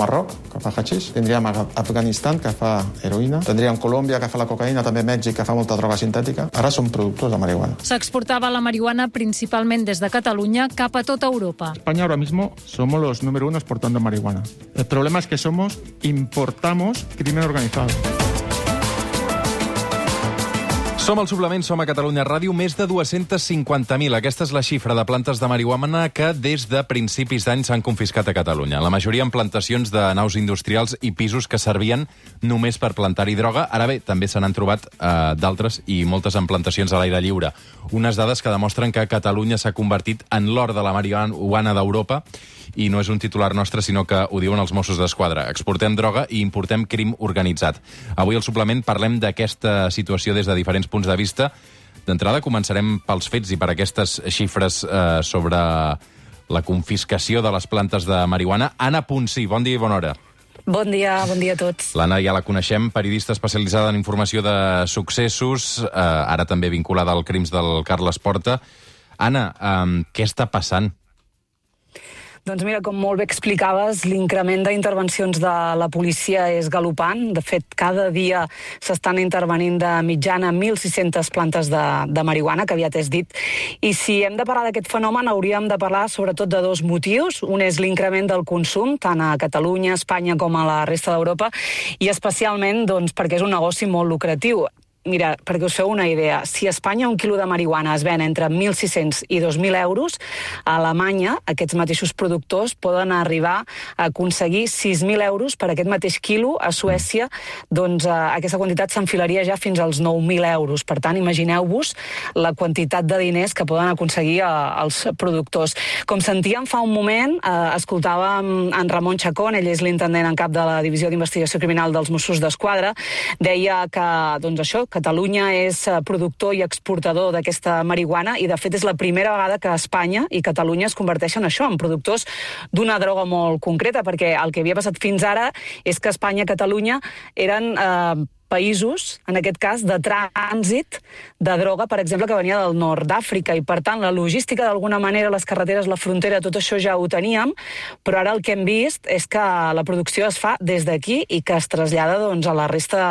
Marroc, que fa hachís. Tindríem Afganistan, que fa heroïna. Tindríem Colòmbia, que fa la cocaïna, també Mèxic, que fa molta droga sintètica. Ara som productors de marihuana. S'exportava la marihuana principalment des de Catalunya cap a tota Europa. España ahora mismo somos los número 1 exportando marihuana. El problema es que importamos crimen organizado. Som al Suplement, som a Catalunya Ràdio, més de 250.000. Aquesta és la xifra de plantes de marihuana que des de principis d'any s'han confiscat a Catalunya. La majoria en plantacions de naus industrials i pisos que servien només per plantar-hi droga. Ara bé, també se n'han trobat d'altres i moltes en plantacions a l'aire lliure. Unes dades que demostren que Catalunya s'ha convertit en l'or de la marihuana d'Europa, i no és un titular nostre, sinó que ho diuen els Mossos d'Esquadra. Exportem droga i importem crim organitzat. Avui al Suplement parlem d'aquesta situació des de diferents punts de vista. D'entrada començarem pels fets i per aquestes xifres sobre la confiscació de les plantes de marihuana. Anna Ponsí, bon dia i bona hora. Bon dia a tots. L'Anna ja la coneixem, periodista especialitzada en informació de successos, ara també vinculada als crims del Carles Porta. Anna, què està passant? Doncs mira, com molt bé explicaves, l'increment d'intervencions de la policia és galopant. De fet, cada dia s'estan intervenint de mitjana 1.600 plantes de marihuana, que aviat és dit. I si hem de parlar d'aquest fenomen, hauríem de parlar sobretot de dos motius. Un és l'increment del consum, tant a Catalunya, Espanya com a la resta d'Europa, i especialment doncs, perquè és un negoci molt lucratiu. Mira, perquè us feu una idea, si a Espanya un quilo de marihuana es ven entre 1.600 i 2.000 euros, a Alemanya aquests mateixos productors poden arribar a aconseguir 6.000 euros per aquest mateix quilo. A Suècia, doncs, aquesta quantitat s'enfilaria ja fins als 9.000 euros. Per tant, imagineu-vos la quantitat de diners que poden aconseguir els productors. Com sentíem fa un moment, escoltàvem en Ramon Chacón, ell és l'intendent en cap de la Divisió d'Investigació Criminal dels Mossos d'Esquadra, deia que, doncs això, Catalunya és productor i exportador d'aquesta marihuana i, de fet, és la primera vegada que Espanya i Catalunya es converteixen això, en productors d'una droga molt concreta, perquè el que havia passat fins ara és que Espanya i Catalunya eren països, en aquest cas, de trànsit de droga, per exemple, que venia del nord d'Àfrica, i per tant la logística, d'alguna manera, les carreteres, la frontera, tot això ja ho teníem, però ara el que hem vist és que la producció es fa des d'aquí i que es trasllada doncs, a la resta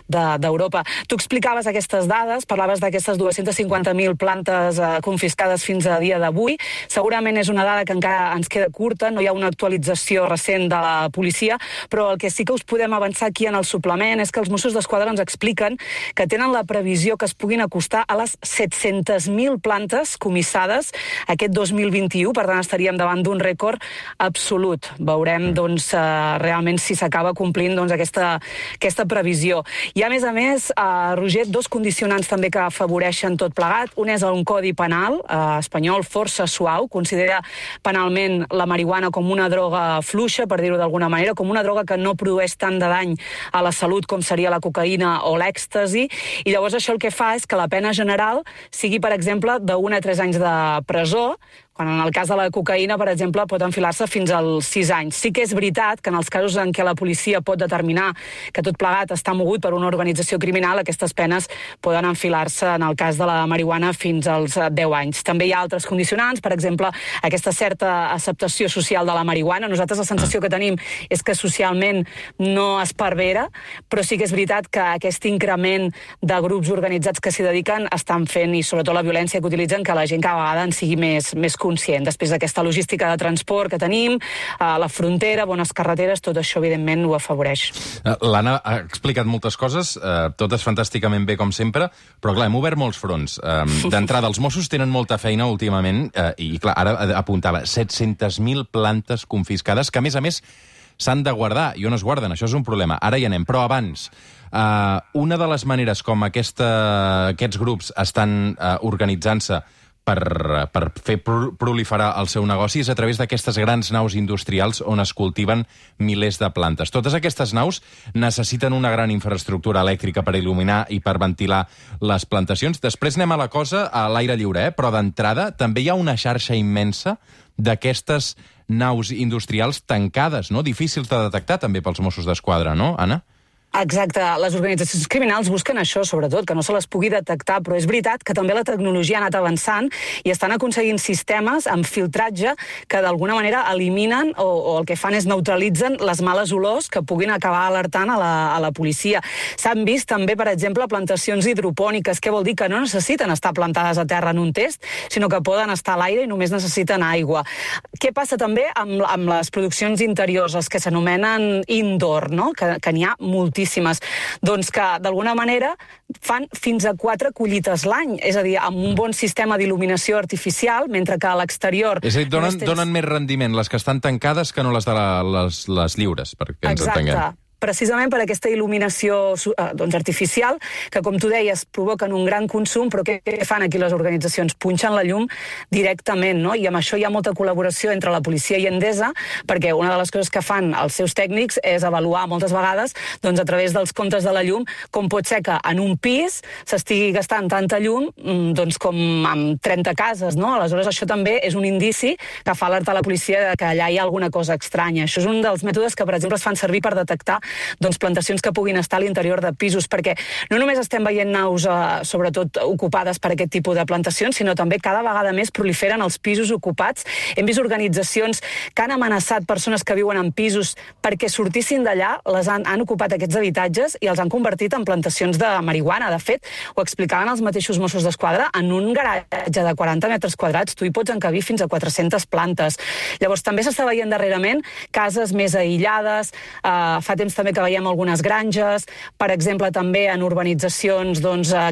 d'Europa. Tu explicaves aquestes dades, parlaves d'aquestes 250.000 plantes confiscades fins a dia d'avui. Segurament és una dada que encara ens queda curta, no hi ha una actualització recent de la policia, però el que sí que us podem avançar aquí en el suplement és que els Mossos d'Esquadra ens expliquen que tenen la previsió que es puguin acostar a les 700.000 plantes comissades aquest 2021, per tant estaríem davant d'un rècord absolut. Veurem doncs, realment si s'acaba complint doncs, aquesta previsió. I a més, Roger, dos condicionants també que afavoreixen tot plegat. Un és un codi penal espanyol força suau, considera penalment la marihuana com una droga fluixa, per dir-ho d'alguna manera, com una droga que no produeix tant de dany a la salut com seria la cocaïna o l'èxtasi, i llavors això el que fa és que la pena general sigui, per exemple, d'1 a 3 anys de presó, quan en el cas de la cocaïna, per exemple, pot enfilar-se fins als 6 anys. Sí que és veritat que en els casos en què la policia pot determinar que tot plegat està mogut per una organització criminal, aquestes penes poden enfilar-se, en el cas de la marihuana, fins als 10 anys. També hi ha altres condicionants, per exemple, aquesta certa acceptació social de la marihuana. Nosaltres la sensació que tenim és que socialment no es pervera, però sí que és veritat que aquest increment de grups organitzats que s'hi dediquen estan fent, i sobretot la violència que utilitzen, que la gent cada vegada en sigui més conscient. Després d'aquesta logística de transport que tenim, la frontera, bones carreteres, tot això, evidentment, ho afavoreix. L'Anna ha explicat moltes coses, totes fantàsticament bé, com sempre, però, clar, hem obert molts fronts. D'entrada, els Mossos tenen molta feina últimament, i, clar, ara apuntava 700.000 plantes confiscades, que, a més, s'han de guardar, i on es guarden? Això és un problema. Ara hi anem, però abans, una de les maneres com aquests grups estan organitzant-se per fer proliferar el seu negoci és a través d'aquestes grans naus industrials on es cultiven milers de plantes. Totes aquestes naus necessiten una gran infraestructura elèctrica per il·luminar i per ventilar les plantacions. Després anem a la cosa a l'aire lliure, però d'entrada també hi ha una xarxa immensa d'aquestes naus industrials tancades, no? Difícils de detectar també pels Mossos d'Esquadra, no, Anna? Exacte, les organitzacions criminals busquen això, sobretot, que no se les pugui detectar, però és veritat que també la tecnologia ha anat avançant i estan aconseguint sistemes amb filtratge que d'alguna manera eliminen o el que fan és neutralitzen les males olors que puguin acabar alertant a la policia. S'han vist també, per exemple, plantacions hidropòniques, que vol dir que no necessiten estar plantades a terra en un test, sinó que poden estar a l'aire i només necessiten aigua. Què passa també amb les produccions interiors, les que s'anomenen indoor, no? Que n'hi ha moltíssimes. Doncs que, d'alguna manera, fan fins a 4 collites l'any, és a dir, amb un bon sistema d'il·luminació artificial, mentre que a l'exterior... És a dir, donen més rendiment les que estan tancades que no les de les lliures, perquè ens entenguem. Exacte. Precisament per aquesta il·luminació artificial, que, com tu deies, provoquen un gran consum, però què fan aquí les organitzacions? Punxen la llum directament, no? I amb això hi ha molta col·laboració entre la policia i Endesa, perquè una de les coses que fan els seus tècnics és avaluar moltes vegades, doncs, a través dels comptes de la llum, com pot ser que en un pis s'estigui gastant tanta llum doncs, com en 30 cases, no? Aleshores, això també és un indici que fa alertar la policia que allà hi ha alguna cosa estranya. Això és un dels mètodes que, per exemple, es fan servir per detectar plantacions que puguin estar a l'interior de pisos, perquè no només estem veient naus, sobretot ocupades per aquest tipus de plantacions, sinó també cada vegada més proliferen els pisos ocupats. Hem vist organitzacions que han amenaçat persones que viuen en pisos perquè sortissin d'allà, han ocupat aquests habitatges i els han convertit en plantacions de marihuana. De fet, ho explicaven els mateixos Mossos d'Esquadra, en un garatge de 40 metres quadrats tu hi pots encabir fins a 400 plantes. Llavors, també s'està veient darrerament cases més aïllades, fa temps també que veiem algunes granges, per exemple, també en urbanitzacions,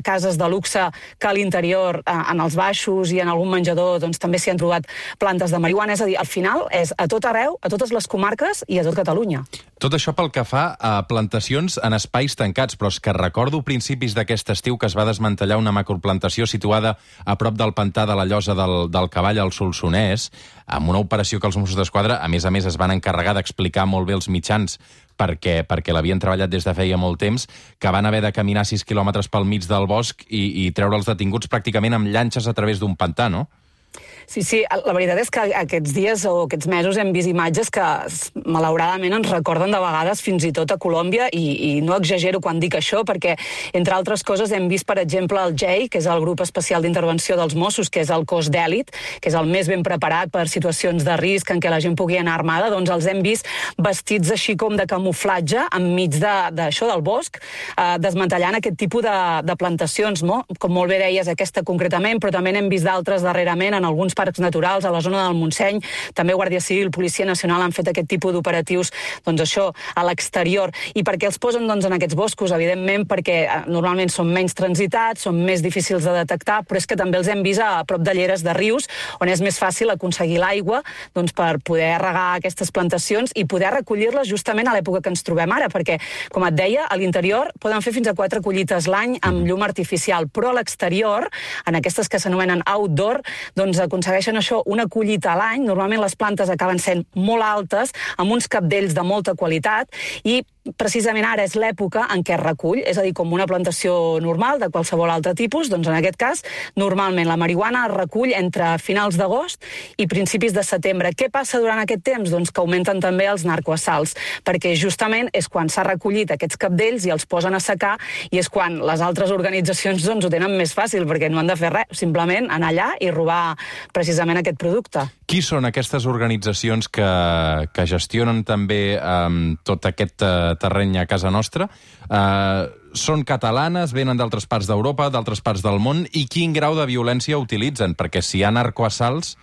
cases de luxe que a l'interior, en els baixos i en algun menjador, també s'hi han trobat plantes de marihuana. És a dir, al final és a tot arreu, a totes les comarques i a tot Catalunya. Tot això pel que fa a plantacions en espais tancats, però és que recordo principis d'aquest estiu que es va desmantellar una macroplantació situada a prop del pantà de la Llosa del Cavall al Solsonès, amb una operació que els Mossos d'Esquadra, a més, es van encarregar d'explicar molt bé els mitjans perquè l'havien treballat des de feia molt temps, que van haver de caminar 6 quilòmetres pel mig del bosc i treure els detinguts pràcticament amb llanxes a través d'un pantà, no? Sí, la veritat és que aquests dies o aquests mesos hem vist imatges que malauradament ens recorden de vegades fins i tot a Colòmbia i no exagero quan dic això perquè, entre altres coses, hem vist, per exemple, el GEI, que és el grup especial d'intervenció dels Mossos, que és el cos d'èlit, que és el més ben preparat per situacions de risc en què la gent pugui anar armada, doncs els hem vist vestits així com de camuflatge enmig d'això del bosc, desmantellant aquest tipus de plantacions, no? Com molt bé deies, aquesta concretament, però també n'hem vist d'altres darrerament en alguns parcs naturals, a la zona del Montseny. També Guàrdia Civil, Policia Nacional han fet aquest tipus d'operatius, això, a l'exterior. I per què els posen, en aquests boscos? Evidentment perquè normalment són menys transitats, són més difícils de detectar, però és que també els hem vist a prop de lleres de rius, on és més fàcil aconseguir l'aigua per poder regar aquestes plantacions i poder recollir-les justament a l'època que ens trobem ara, perquè, com et deia, a l'interior poden fer fins a 4 collites l'any amb llum artificial, però a l'exterior, en aquestes que s'anomenen outdoor, aconsegueixen això, una collita a l'any. Normalment les plantes acaben sent molt altes, amb uns capdells de molta qualitat, i precisament ara és l'època en què es recull, és a dir, com una plantació normal de qualsevol altre tipus, en aquest cas, normalment la marihuana es recull entre finals d'agost i principis de setembre. Què passa durant aquest temps? Que augmenten també els narcoassalts, perquè justament és quan s'ha recollit aquests capdells i els posen a secar, i és quan les altres organitzacions ho tenen més fàcil, perquè no han de fer res, simplement anar allà i robar precisament aquest producte. Qui són aquestes organitzacions que gestionen també tot aquest terreny a casa nostra? Són catalanes, venen d'altres parts d'Europa, d'altres parts del món, i quin grau de violència utilitzen? Perquè si hi ha narcoassalts,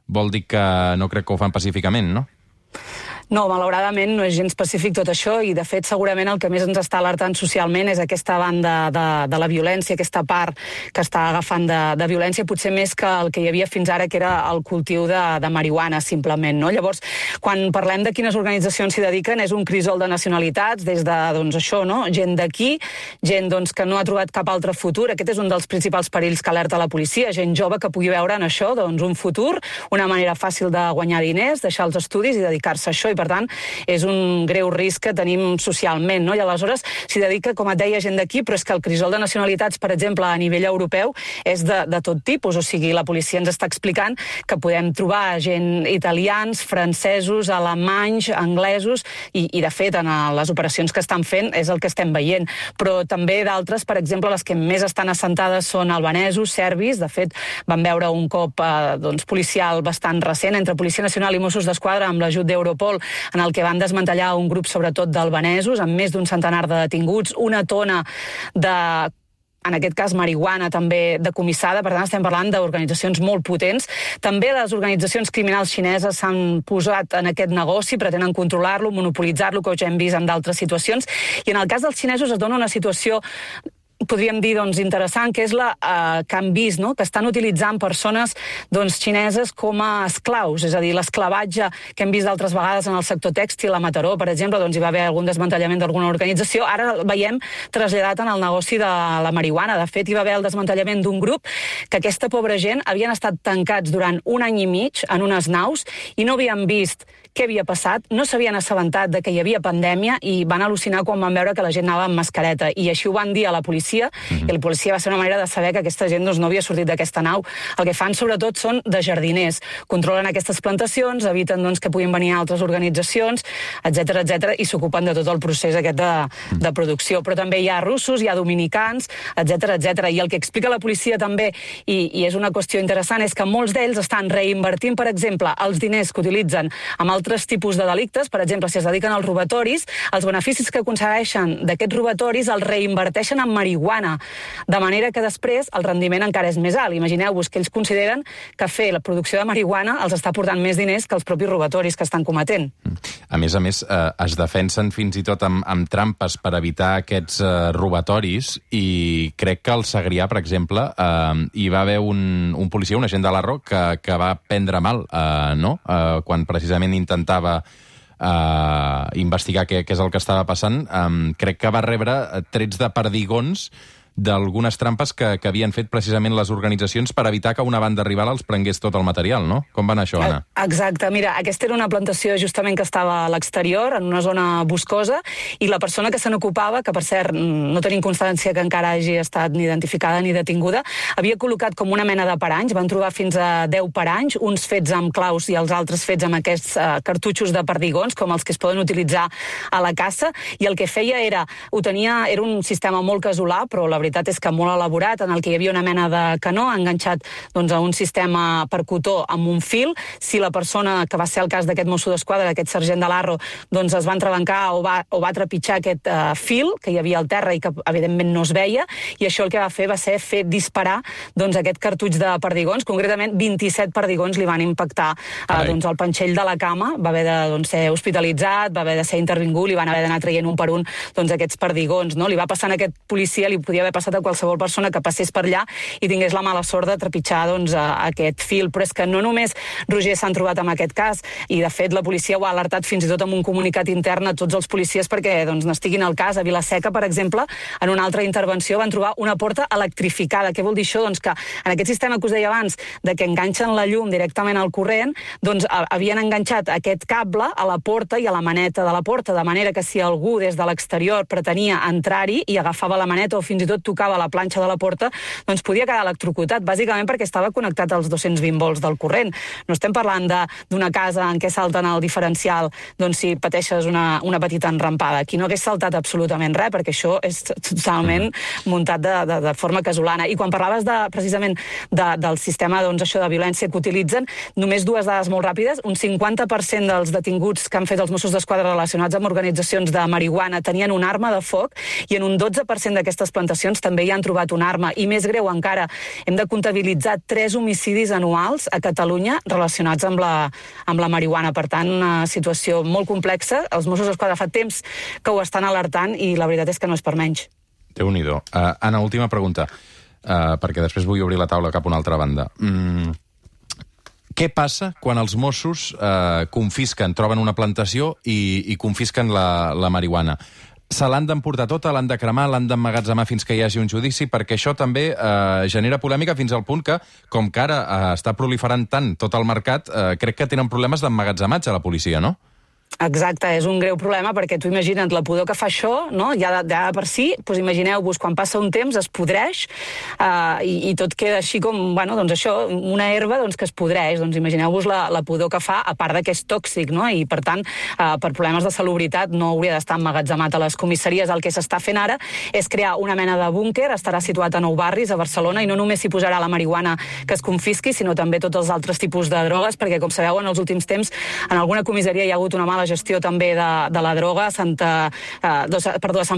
vol dir que no crec que ho fan pacíficament, no? No, malauradament no és gens pacífic tot això i, de fet, segurament el que més ens està alertant socialment és aquesta banda de la violència, aquesta part que està agafant de violència, potser més que el que hi havia fins ara, que era el cultiu de marihuana, simplement, no? Llavors, quan parlem de quines organitzacions s'hi dediquen, és un crisol de nacionalitats, des de, això, no? Gent d'aquí, gent, que no ha trobat cap altre futur. Aquest és un dels principals perills que alerta la policia, gent jove que pugui veure en això, un futur, una manera fàcil de guanyar diners, deixar els estudis i dedicar-se a això, i per tant, és un greu risc que tenim socialment, no? I aleshores s'hi dedica, com et deia, gent d'aquí, però és que el crisol de nacionalitats, per exemple, a nivell europeu, és de tot tipus. O sigui, la policia ens està explicant que podem trobar gent italians, francesos, alemanys, anglesos, i de fet, en les operacions que estan fent és el que estem veient. Però també d'altres, per exemple, les que més estan assentades són albanesos, serbis. De fet, vam veure un cop policial bastant recent entre Policia Nacional i Mossos d'Esquadra amb l'ajut d'Europol, en el que van desmantellar un grup sobretot d'albanesos, amb més d'un centenar de detinguts, una tona de, en aquest cas, marihuana també decomissada. Per tant, estem parlant d'organitzacions molt potents. També les organitzacions criminals xineses s'han posat en aquest negoci, pretenen controlar-lo, monopolitzar-lo, que ja hem vist en d'altres situacions. I en el cas dels xinesos es dona una situació, podríem dir, interessant, que és la que han vist, no? Que estan utilitzant persones xineses com a esclaus, és a dir, l'esclavatge que hem vist d'altres vegades en el sector tèxtil, a Mataró, per exemple, hi va haver algun desmantellament d'alguna organització, ara el veiem traslladat en el negoci de la marihuana. De fet, hi va haver el desmantellament d'un grup que aquesta pobra gent havien estat tancats durant 1 any i mig en unes naus i no havien vist què havia passat, no s'havien assabentat de que hi havia pandèmia i van al·lucinar quan van veure que la gent anava amb mascareta. I així ho van dir a la policia, i la policia va ser una manera de saber que aquesta gent no havia sortit d'aquesta nau. El que fan, sobretot, són de jardiners. Controlen aquestes plantacions, eviten que puguin venir altres organitzacions, etc, i s'ocupen de tot el procés aquest de producció. Però també hi ha russos, hi ha dominicans, etc. I el que explica la policia també, i és una qüestió interessant, és que molts d'ells estan reinvertint, per exemple, els diners que utilitzen amb altres tipus de delictes. Per exemple, si es dediquen als robatoris, els beneficis que aconsegueixen d'aquests robatoris els reinverteixen en marihuana, de manera que després el rendiment encara és més alt. Imagineu-vos que ells consideren que fer la producció de marihuana els està portant més diners que els propis robatoris que estan cometent. A més, es defensen fins i tot amb trampes per evitar aquests robatoris, i crec que al Segrià, per exemple, hi va haver un policia, un agent de l'Arro, que va prendre mal, no? Quan precisament intentava investigar què és el que estava passant. Crec que va rebre trets de perdigons d'algunes trampes que havien fet precisament les organitzacions per evitar que una banda rival els prengués tot el material, no? Com va anar això, Anna? Exacte. Mira, aquesta era una plantació justament que estava a l'exterior, en una zona boscosa, i la persona que se n'ocupava, que per cert no tenim constància que encara hagi estat ni identificada ni detinguda, havia col·locat com una mena de paranys, van trobar fins a 10 paranys, uns fets amb claus i els altres fets amb aquests cartutxos de perdigons, com els que es poden utilitzar a la caça, i el que feia era un sistema molt casolà, però la veritat és que molt elaborat, en el que hi havia una mena de canó enganxat a un sistema per cotó amb un fil. Si la persona, que va ser el cas d'aquest mosso d'esquadra, aquest sergent de l'Arro, es va entrebancar o va trepitjar aquest fil que hi havia al terra i que evidentment no es veia, i això el que va fer fer disparar aquest cartutx de perdigons. Concretament 27 perdigons li van impactar al panxell de la cama, va haver de ser hospitalitzat, va haver de ser intervingut, li van haver d'anar traient un per un aquests perdigons, no? Li va passar a aquest policia, li podia haver passat a qualsevol persona que passés per allà i tingués la mala sort de trepitjar aquest fil. Però és que no només, Roger, s'han trobat amb aquest cas, i de fet la policia ho ha alertat fins i tot amb un comunicat intern a tots els policies perquè n'estiguin al cas. A Vila-seca, per exemple, en una altra intervenció van trobar una porta electrificada. Què vol dir això? Que en aquest sistema que us deia abans, de que enganxen la llum directament al corrent, havien enganxat aquest cable a la porta i a la maneta de la porta, de manera que si algú des de l'exterior pretenia entrar-hi i agafava la maneta o fins i tot tocava la planxa de la porta, podia quedar electrocutat, bàsicament perquè estava connectat als 220 volts del corrent. No estem parlant d'una casa en què salten el diferencial si pateixes una petita enrampada. Aquí no hagués saltat absolutament res, perquè això és totalment muntat de forma casolana. I quan parlaves precisament del sistema això de violència que utilitzen, només dues dades molt ràpides. Un 50% dels detinguts que han fet els Mossos d'Esquadra relacionats amb organitzacions de marihuana tenien una arma de foc, i en un 12% d'aquestes plantacions també hi han trobat una arma. I més greu encara, hem de comptabilitzar 3 homicidis anuals a Catalunya relacionats amb la marihuana. Per tant, una situació molt complexa. Els Mossos d'Esquadra fa temps que ho estan alertant i la veritat és que no és per menys. Déu-n'hi-do. Anna, última pregunta, perquè després vull obrir la taula cap a una altra banda. Què passa quan els Mossos troben una plantació i confisquen la marihuana? Se l'han d'emportar tota, l'han de cremar, l'han d'emmagatzemar fins que hi hagi un judici, perquè això també genera polèmica fins al punt que, com que ara està proliferant tant tot el mercat, crec que tenen problemes d'emmagatzematge a la policia, no? Exacte, és un greu problema perquè tu imagina't la pudor que fa això, no? Ja de per si, doncs imagineu-vos, quan passa un temps es podreix i tot queda així com, bueno, doncs això, una herba doncs, que es podreix, doncs imagineu-vos la pudor que fa, a part que és tòxic, no? I per tant, per problemes de salubritat no hauria d'estar emmagatzemat a les comissaries. El que s'està fent ara és crear una mena de búnquer, estarà situat a 9 barris a Barcelona i no només s'hi posarà la marihuana que es confisqui, sinó també tots els altres tipus de drogues, perquè com sabeu en els últims temps en alguna comissaria hi ha hagut una mala gestió també de la droga. A Sant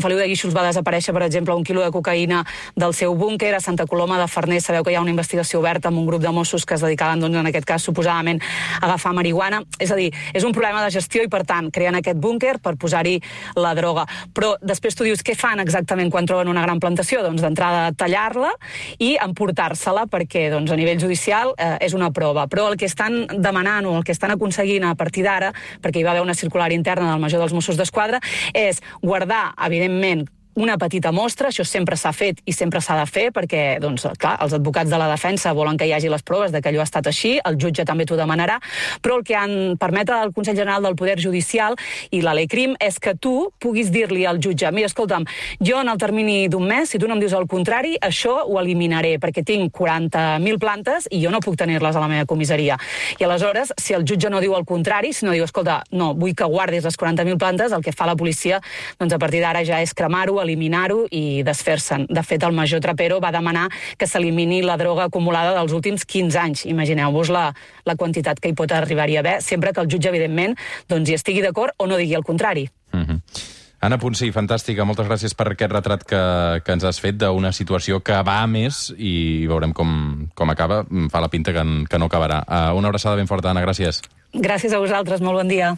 Feliu de Guíxols va desaparèixer, per exemple, 1 quilo de cocaïna del seu búnquer. A Santa Coloma de Farners sabeu que hi ha una investigació oberta amb un grup de Mossos que es dedicaven, doncs, en aquest cas, suposadament, a agafar marihuana. És a dir, és un problema de gestió i, per tant, creen aquest búnquer per posar-hi la droga. Però després tu dius, què fan exactament quan troben una gran plantació? Doncs d'entrada tallar-la i emportar-se-la perquè, doncs, a nivell judicial és una prova. Però el que estan demanant o el que estan aconseguint a partir d'ara, perquè hi va haver una circular interna del major dels Mossos d'Esquadra, és guardar, evidentment, una petita mostra, això sempre s'ha fet i sempre s'ha de fer, perquè, doncs, clar, els advocats de la defensa volen que hi hagi les proves de que allò ha estat així, el jutge també t'ho demanarà, però el que permet al Consell General del Poder Judicial i la Ley Crim és que tu puguis dir-li al jutge, mira, escolta'm, jo en el termini d'un mes, si tu no em dius el contrari, això ho eliminaré, perquè tinc 40.000 plantes i jo no puc tenir-les a la meva comissaria. I aleshores, si el jutge no diu el contrari, si no diu, escolta, no, vull que guardis les 40.000 plantes, el que fa la policia, doncs a partir d'ara ja és cremar-ho, eliminar-ho i desfer-se'n. De fet, el major Trapero va demanar que s'elimini la droga acumulada dels últims 15 anys. Imagineu-vos la quantitat que hi pot arribar-hi a haver, sempre que el jutge, evidentment, doncs hi estigui d'acord o no digui el contrari. Anna Ponsí, fantàstica. Moltes gràcies per aquest retrat que ens has fet d'una situació que va a més i veurem com acaba. Fa la pinta que no acabarà. Una abraçada ben forta, Anna. Gràcies. Gràcies a vosaltres. Molt bon dia.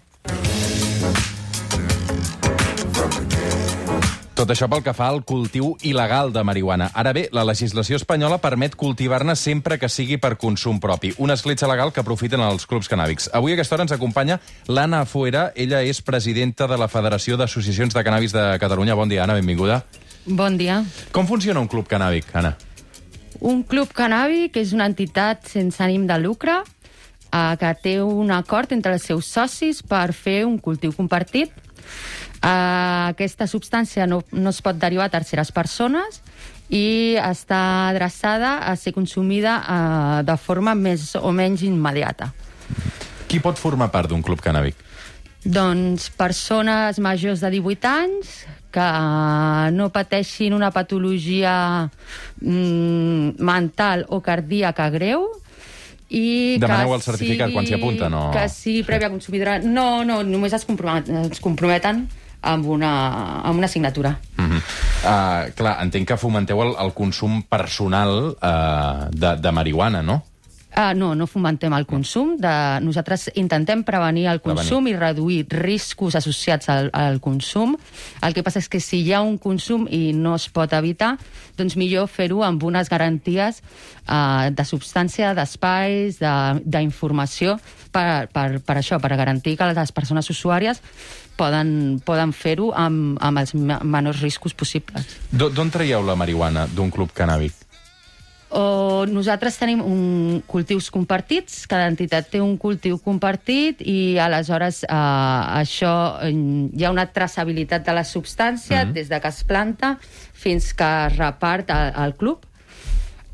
Tot això pel que fa al cultiu il·legal de marihuana. Ara bé, la legislació espanyola permet cultivar-ne sempre que sigui per consum propi. Una escletxa legal que aprofiten els clubs cannàbics. Avui a aquesta hora ens acompanya l'Anna Fuera. Ella és presidenta de la Federació d'Associacions de Cannàbis de Catalunya. Bon dia, Anna, benvinguda. Bon dia. Com funciona un club cannàbic, Anna? Un club cannàbic és una entitat sense ànim de lucre que té un acord entre els seus socis per fer un cultiu compartit. Aquesta substància no es pot derivar a terceres persones i està adreçada a ser consumida de forma més o menys immediata. Qui pot formar part d'un club cannàbic? Doncs persones majors de 18 anys que no pateixin una patologia mental o cardíaca greu. Demaneu el certificat quan s'hi apunten? Que sigui prèvia consumidora. No, només es comprometen amb una assignatura. Clar, entenc que fomenteu el consum personal de marihuana, no? No fomentem el consum. Nosaltres intentem prevenir el consum i reduir riscos associats al consum. El que passa és que si hi ha un consum i no es pot evitar, doncs millor fer-ho amb unes garanties de substància, d'espais, d'informació, per això, per garantir que les persones usuàries poden fer-ho amb els menors riscos possibles. D'on traieu la marihuana d'un club cannàbic? Nosaltres tenim cultius compartits, cada entitat té un cultiu compartit i aleshores això hi ha una traçabilitat de la substància des de que es planta fins que es repart al club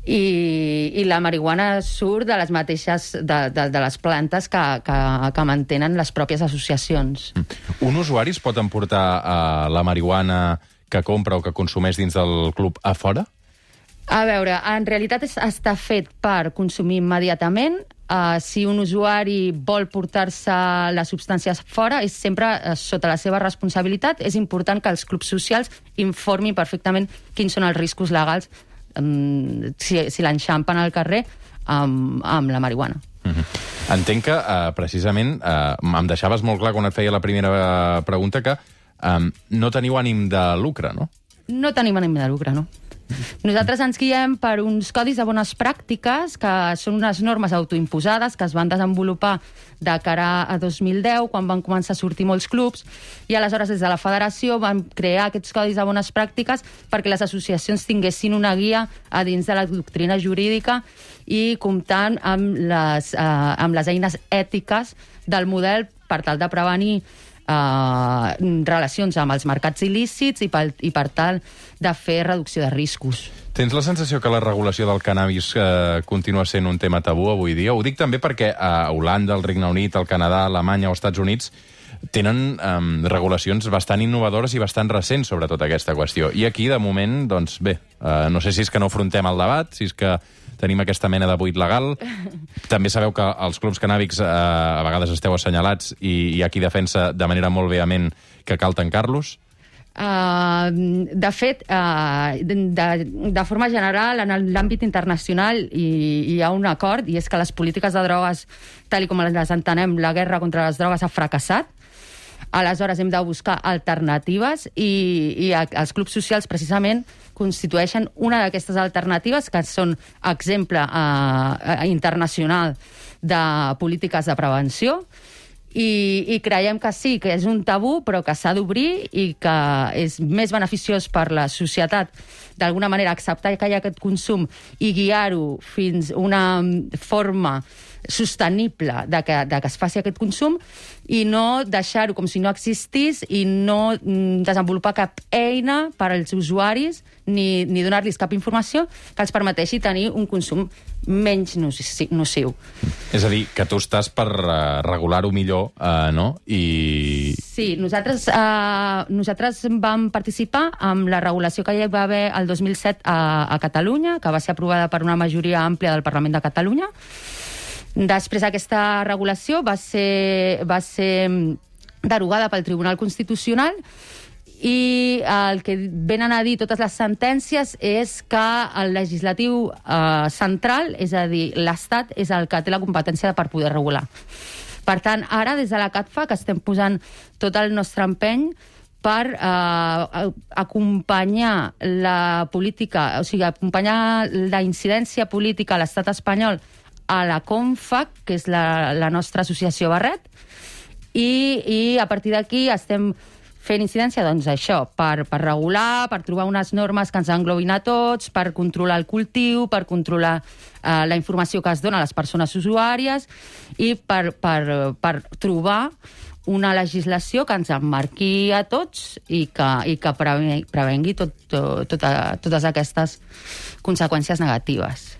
i la marihuana surt de les mateixes de les plantes que mantenen les pròpies associacions. Un usuari es pot emportar la marihuana que compra o que consumeix dins del club a fora? A veure, en realitat està fet per consumir immediatament. Si un usuari vol portar-se les substàncies fora, és sempre sota la seva responsabilitat. És important que els clubs socials informin perfectament quins són els riscos legals si l'enxampen al carrer amb la marihuana. Entenc que, precisament, em deixaves molt clar quan et feia la primera pregunta que no teniu ànim de lucre, no? No tenim ànim de lucre, no. Nosaltres ens guiem per uns codis de bones pràctiques, que són unes normes autoimposades que es van desenvolupar de cara a 2010, quan van començar a sortir molts clubs, i aleshores des de la federació van crear aquests codis de bones pràctiques perquè les associacions tinguessin una guia a dins de la doctrina jurídica i comptant amb les eines ètiques del model per tal de prevenir relacions amb els mercats il·lícits i per tal de fer reducció de riscos. Tens la sensació que la regulació del cannabis continua sent un tema tabú avui dia? Ho dic també perquè a Holanda, el Regne Unit, el Canadà, Alemanya o Estats Units tenen regulacions bastant innovadores i bastant recents sobre tota aquesta qüestió. I aquí, de moment, doncs bé, no sé si és que no afrontem el debat, si és que tenim aquesta mena de buit legal. També sabeu que els clubs cannàbics a vegades esteu assenyalats i hi ha qui defensa de manera molt vehement que cal tancar-los. De fet, de forma general, en l'àmbit internacional hi ha un acord, i és que les polítiques de drogues, tal com les entenem, la guerra contra les drogues ha fracassat. Aleshores hem de buscar alternatives i els clubs socials precisament constitueixen una d'aquestes alternatives que són exemple internacional de polítiques de prevenció. I creiem que sí, que és un tabú, però que s'ha d'obrir i que és més beneficiós per la societat d'alguna manera acceptar que hi ha aquest consum i guiar-ho fins a una forma sostenible de que es faci aquest consum i no deixar-ho com si no existís i no desenvolupar cap eina per als usuaris ni donar-los cap informació que els permeteixi tenir un consum menys nociu. És a dir, que tu estàs per regular-ho millor, no? Sí, nosaltres vam participar amb la regulació que hi va haver el 2007 a Catalunya, que va ser aprovada per una majoria àmplia del Parlament de Catalunya. Després aquesta regulació va ser derogada pel Tribunal Constitucional i el que venen a dir totes les sentències és que el legislatiu central, és a dir, l'Estat, és el que té la competència per poder regular. Per tant, ara, des de la CATFAC, estem posant tot el nostre empeny per acompanyar la política, o sigui, acompanyar la incidència política a l'estat espanyol a la CONFAC, que és la nostra associació Barret, i a partir d'aquí estem fent incidència, doncs, això, per regular, per trobar unes normes que ens englobin a tots, per controlar el cultiu, per controlar la informació que es dona a les persones usuàries i per trobar una legislació que ens emmarqui a tots i que prevengui totes aquestes conseqüències negatives.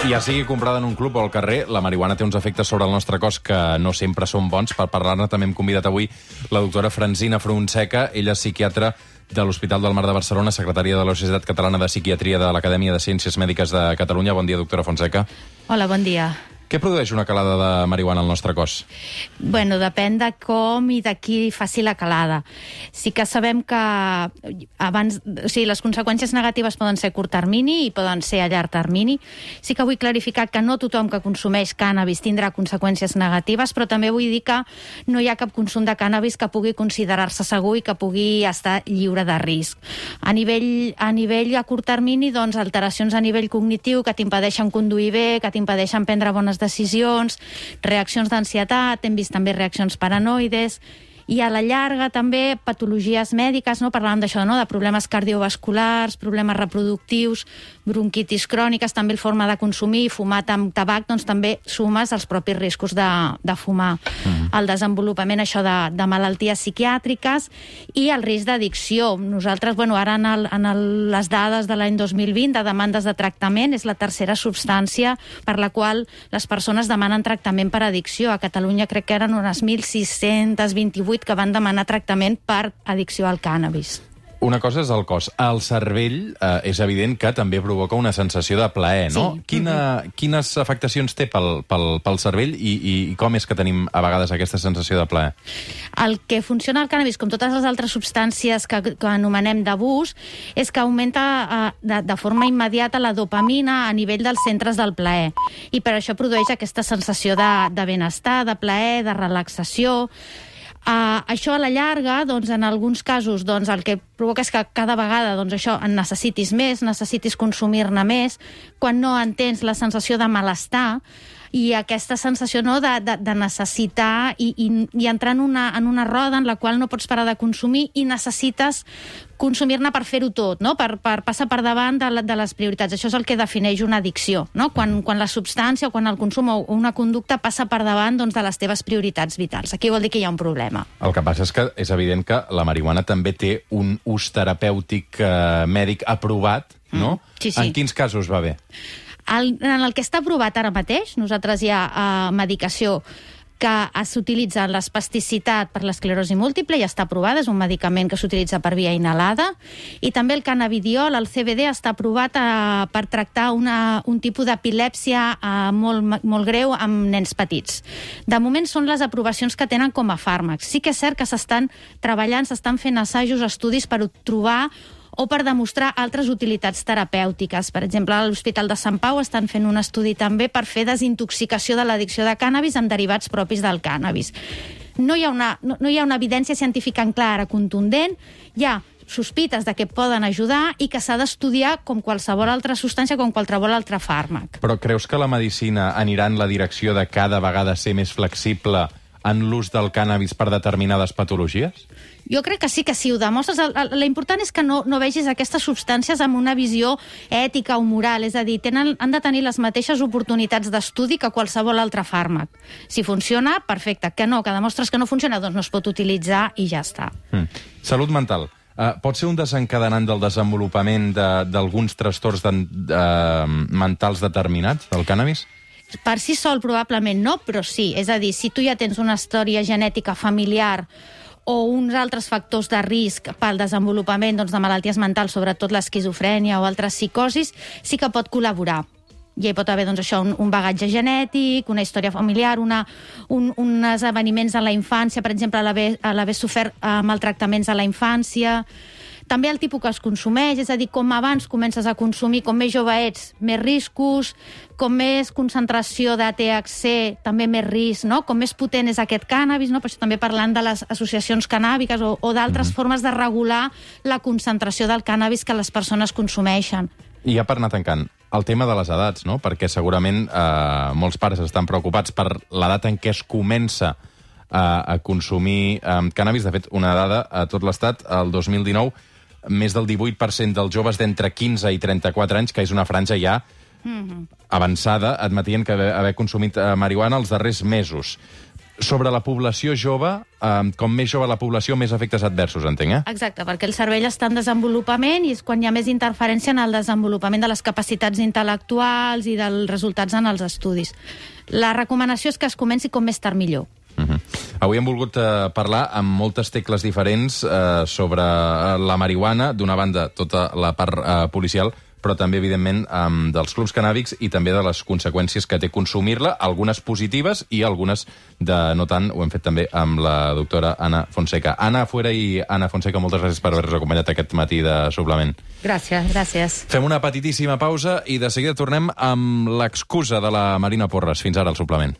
Ja sigui comprada en un club o al carrer, la marihuana té uns efectes sobre el nostre cos que no sempre són bons. Per parlar-ne també hem convidat avui la doctora Francina Fonseca. Ella és psiquiatra de l'Hospital del Mar de Barcelona, secretària de la Societat Catalana de Psiquiatria de l'Acadèmia de Ciències Mèdiques de Catalunya. Bon dia, doctora Fonseca. Hola, bon dia. Què produeix una calada de marihuana al nostre cos? Bueno, depèn de com i de qui faci la calada. Sí que sabem que les conseqüències negatives poden ser a curt termini i poden ser a llarg termini. Sí que vull clarificar que no tothom que consumeix cànnabis tindrà conseqüències negatives, però també vull dir que no hi ha cap consum de cànnabis que pugui considerar-se segur i que pugui estar lliure de risc. A nivell a curt termini, doncs, alteracions a nivell cognitiu que t'impedeixen conduir bé, que t'impedeixen prendre bones decisions, reaccions d'ansietat, hem vist també reaccions paranoides, i a la llarga també patologies mèdiques, no? Parlàvem d'això, no? De problemes cardiovasculars, problemes reproductius, bronquitis cròniques, també el forma de consumir, fumat amb tabac, doncs també sumes els propis riscos de fumar. El desenvolupament, això, de malalties psiquiàtriques i el risc d'addicció. Nosaltres, ara en les dades de l'any 2020 de demandes de tractament, és la tercera substància per la qual les persones demanen tractament per addicció. A Catalunya crec que eren unes 1.628 que van demanar tractament per addicció al cànnabis. Una cosa és el cos. El cervell és evident que també provoca una sensació de plaer, no? Sí. Quines afectacions té pel cervell i com és que tenim a vegades aquesta sensació de plaer? El que funciona al cànnabis, com totes les altres substàncies que anomenem d'abús, és que augmenta de forma immediata la dopamina a nivell dels centres del plaer. I per això produeix aquesta sensació de benestar, de plaer, de relaxació. Això a la llarga, doncs, en alguns casos, doncs, el que provoca és que cada vegada això en necessitis més, necessitis consumir-ne més. Quan no entens la sensació de malestar, i aquesta sensació de necessitar i entrar en una roda en la qual no pots parar de consumir i necessites consumir-ne per fer-ho tot, no? per passar per davant de les prioritats. Això és el que defineix una addicció, no? Quan la substància o quan el consum o una conducta passa per davant de les teves prioritats vitals. Aquí vol dir que hi ha un problema. El que passa és que és evident que la marihuana també té un ús terapèutic mèdic aprovat, no? Sí. En quins casos va bé? En el que està aprovat ara mateix, nosaltres hi ha medicació que s'utilitza l'espasticitat per l'esclerosi múltiple, ja està aprovada, és un medicament que s'utilitza per via inhalada, i també el cannabidiol, el CBD, està aprovat per tractar un tipus d'epilèpsia molt greu amb nens petits. De moment són les aprovacions que tenen com a fàrmacs. Sí que és cert que s'estan treballant, s'estan fent assajos, estudis per trobar o per demostrar altres utilitats terapèutiques. Per exemple, a l'Hospital de Sant Pau estan fent un estudi també per fer desintoxicació de l'addicció de cànnabis amb derivats propis del cànnabis. No hi ha una evidència científica clara, contundent, hi ha sospites de que poden ajudar i que s'ha d'estudiar com qualsevol altra substància, com qualsevol altre fàrmac. Però creus que la medicina anirà en la direcció de cada vegada ser més flexible en l'ús del cànnabis per determinades patologies? Jo crec que sí, que si ho demostres. L'important és que no vegis aquestes substàncies amb una visió ètica o moral, és a dir, han de tenir les mateixes oportunitats d'estudi que qualsevol altre fàrmac. Si funciona, perfecte. Que demostres que no funciona, doncs no es pot utilitzar i ja està. Salut mental. Pot ser un desencadenant del desenvolupament d'alguns trastorns mentals determinats, del cànnabis? Per si sol probablement no, però sí. És a dir, si tu ja tens una història genètica familiar o uns altres factors de risc pel desenvolupament de malalties mentals, sobretot l'esquizofrènia o altres psicosis, sí que pot col·laborar. I hi pot haver un bagatge genètic, una història familiar, uns esdeveniments a la infància, per exemple, l'haver sofert maltractaments a la infància. També el tipus que es consumeix, és a dir, com abans comences a consumir, com més jove ets, més riscos, com més concentració de THC, també més risc, no? Com més potent és aquest cànnabis, no? Per això també parlant de les associacions cannàbiques o d'altres formes de regular la concentració del cànnabis que les persones consumeixen. I ja per anar tancant, el tema de les edats, no? Perquè segurament molts pares estan preocupats per l'edat en què es comença a consumir cànnabis. De fet, una dada a tot l'estat, el 2019, més del 18% dels joves d'entre 15 i 34 anys, que és una franja ja avançada, admetien que haver consumit marihuana els darrers mesos. Sobre la població jove, com més jove la població, més efectes adversos, entenc, Exacte, perquè el cervell està en desenvolupament i és quan hi ha més interferència en el desenvolupament de les capacitats intel·lectuals i dels resultats en els estudis. La recomanació és que es comenci com més tard millor. Avui hem volgut parlar amb moltes tecles diferents sobre la marihuana, d'una banda tota la part policial, però també, evidentment, dels clubs cannàbics i també de les conseqüències que té consumir-la, algunes positives i algunes de no tant. Ho hem fet també amb la doctora Ana Fonseca. Ana Fuera i Ana Fonseca, moltes gràcies per haver-nos acompanyat aquest matí de Suplement. Gràcies, gràcies. Fem una petitíssima pausa i de seguida tornem amb l'excusa de la Marina Porres. Fins ara, al Suplement.